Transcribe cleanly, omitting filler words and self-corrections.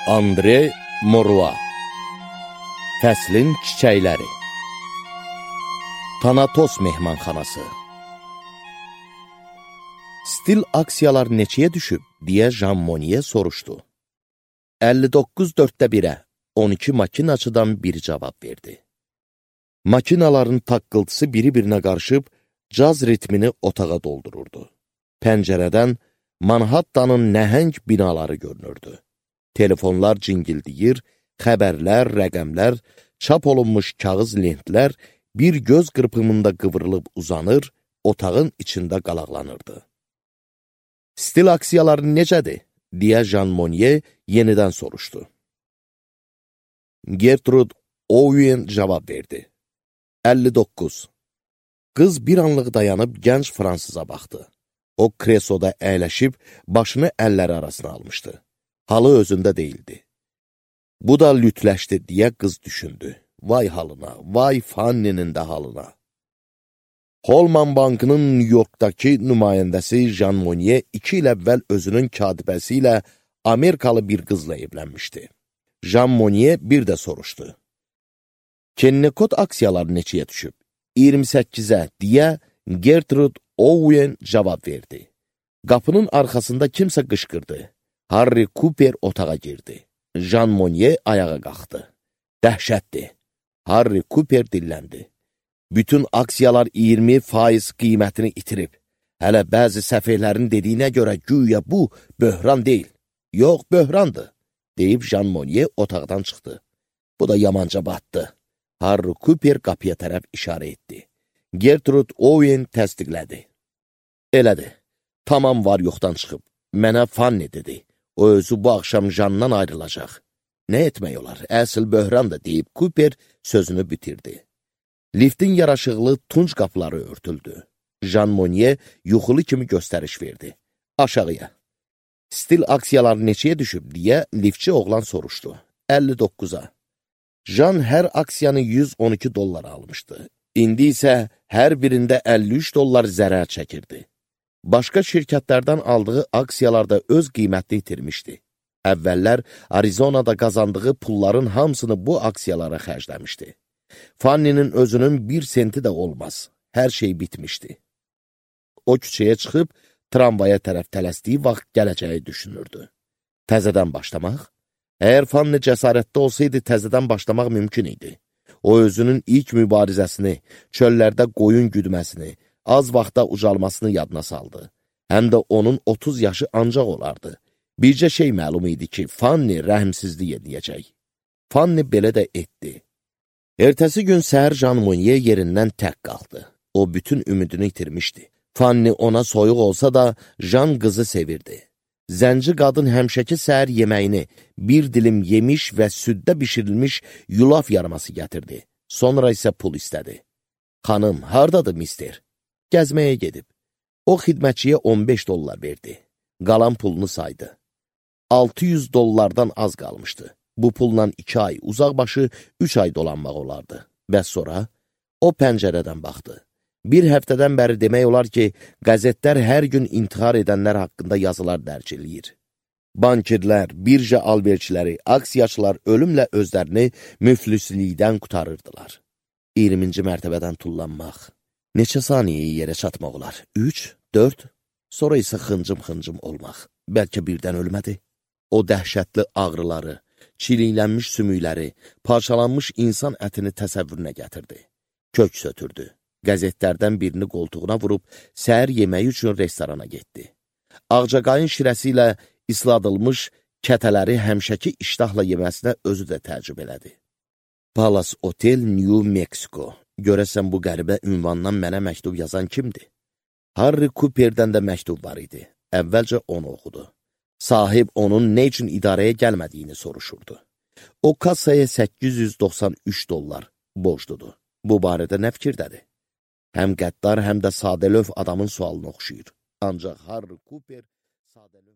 Andre Morua Fəslin çiçəkləri Tanatos mehmanxanası Stil aksiyalar neçəyə düşüb, deyə Jean Monnet soruşdu. 59/4-1-ə 12 makinaçıdan biri cavab verdi. Makinaların taqqıltısı biri-birinə qarışıb, caz ritmini otağa doldururdu. Pəncərədən Manhattanın nəhəng binaları görünürdü. Telefonlar cingildiyir, xəbərlər, rəqəmlər, çap olunmuş kağız lentlər bir göz qırpımında qıvrılıb uzanır, otağın içində qalaqlanırdı. Stil aksiyaları necədir? Deyə Jean Monnet yenidən soruşdu. Gertrude Owen cavab verdi. 59. Qız bir anlıq dayanıb gənc fransıza baxdı. O kresoda əyləşib, başını əlləri arasına almışdı. Halı özündə deyildi. Bu da lütləşdi, deyə qız düşündü. Vay halına, vay Fanny'nin də halına. Holman Bankının New Yorkdakı nümayəndəsi Jean Monnet 2 il əvvəl özünün katibəsi ilə Amerikalı bir qızla evlənmişdi. Jean Monnet bir də soruşdu. Kennikot aksiyaları neçəyə düşüb? 28-ə, deyə Gertrude Owen cavab verdi. Qapının arxasında kimsə qışqırdı. Harry Cooper otağa girdi. Jean Monnet ayağa qalxdı. Dəhşətdir. Harry Cooper dilləndi. Bütün aksiyalar 20% qiymətini itirib. Hələ bəzi səfehlərin dediyinə görə güya bu böhran deyil. Yox, böhrandır, deyib Jean Monnet otaqdan çıxdı. Bu da yamanca batdı. Harry Cooper qapıya tərəf işarə etdi. Gertrude Owen təsdiqlədi. Elədir, tamam var yoxdan çıxıb. Mənə Fanny dedi. O özü bu axşam Jean'dan ayrılacaq. Nə etmək olar? Əsl böhrandır, deyib Cooper sözünü bitirdi. Liftin yaraşıqlı tunç qapıları örtüldü. Jean Monnet yuxulu kimi göstəriş verdi. Aşağıya. Stil aksiyaları neçəyə düşüb, deyə liftçi oğlan soruşdu. 59-a. Jean hər aksiyanı $112 almışdı. İndi isə hər birində $53 zərər çəkirdi. Başqa şirkətlərdən aldığı aksiyalarda öz qiymətini itirmişdi. Əvvəllər Arizonada qazandığı pulların hamısını bu aksiyalara xərcləmişdi. Fanny'nin özünün 1 senti də olmaz. Hər şey bitmişdi. O küçəyə çıxıb, tramvaya tərəf tələsdiyi vaxt gələcəyi düşünürdü. Təzədən başlamaq? Əgər Fanny cəsarətli olsaydı, təzədən başlamaq mümkün idi. O özünün ilk mübarizəsini, çöllərdə qoyun güdməsini, az vaxtda ucalmasını yadına saldı. Həm də onun 30 yaşı ancaq olardı. Bircə şey məlum idi ki, Fanny rəhmsizlik edəcək. Fanny belə də etdi. Ertəsi gün səhər Jean Monnet yerindən tək qaldı. O bütün ümidini itirmişdi. Fanny ona soyuq olsa da, Jean qızı sevirdi. Zənci qadın həmişəki səhər yeməyini bir dilim yemiş və süddə bişirilmiş yulaf yarması gətirdi. Sonra isə pul istədi. Xanım, hardadır mister? Gəzməyə gedib. O xidmətçiyə $15 verdi. Qalan pulunu saydı. $600 az qalmışdı. Bu pulla 2 ay, uzaqbaşı 3 ay dolanmaq olardı. Bəs sonra o pəncərədən baxdı. Bir həftədən bəri demək olar ki, qəzetlər hər gün intihar edənlər haqqında yazılar dərc eləyir. Bankirlər, birja alverçiləri, aksiyaçılar ölümlə özlərini müflislikdən qutarırdılar. 20-ci mərtəbədən tullanmaq. Neçə saniyəyə yerə çatmaq olar? 3, 4, sonra isə xıncım-xıncım olmaq. Bəlkə birdən ölmədi. O dəhşətli ağrıları, çiliklənmiş sümükləri, parçalanmış insan ətini təsəvvürünə gətirdi. Kök sötürdü. Qəzetlərdən birini qoltuğuna vurub, səhər yeməyi üçün restorana getdi. Ağcaqayın şirəsi ilə isladılmış kətələri həmişəki iştahla yeməsinə özü də təəccüb elədi. Palace Hotel, New Mexico. Görəsən bu qəribə ünvandan mənə məktub yazan kimdir? Harry Cooper'dən də məktub var idi. Əvvəlcə onu oxudu. Sahib onun nə üçün idarəyə gəlmədiyini soruşurdu. O kassaya $893 borcludur. Bu barədə nə fikirdədir? Həm qəddar, həm də sadəlöv adamın sualını oxşuyur. Ancaq Harry Cooper sadəlöv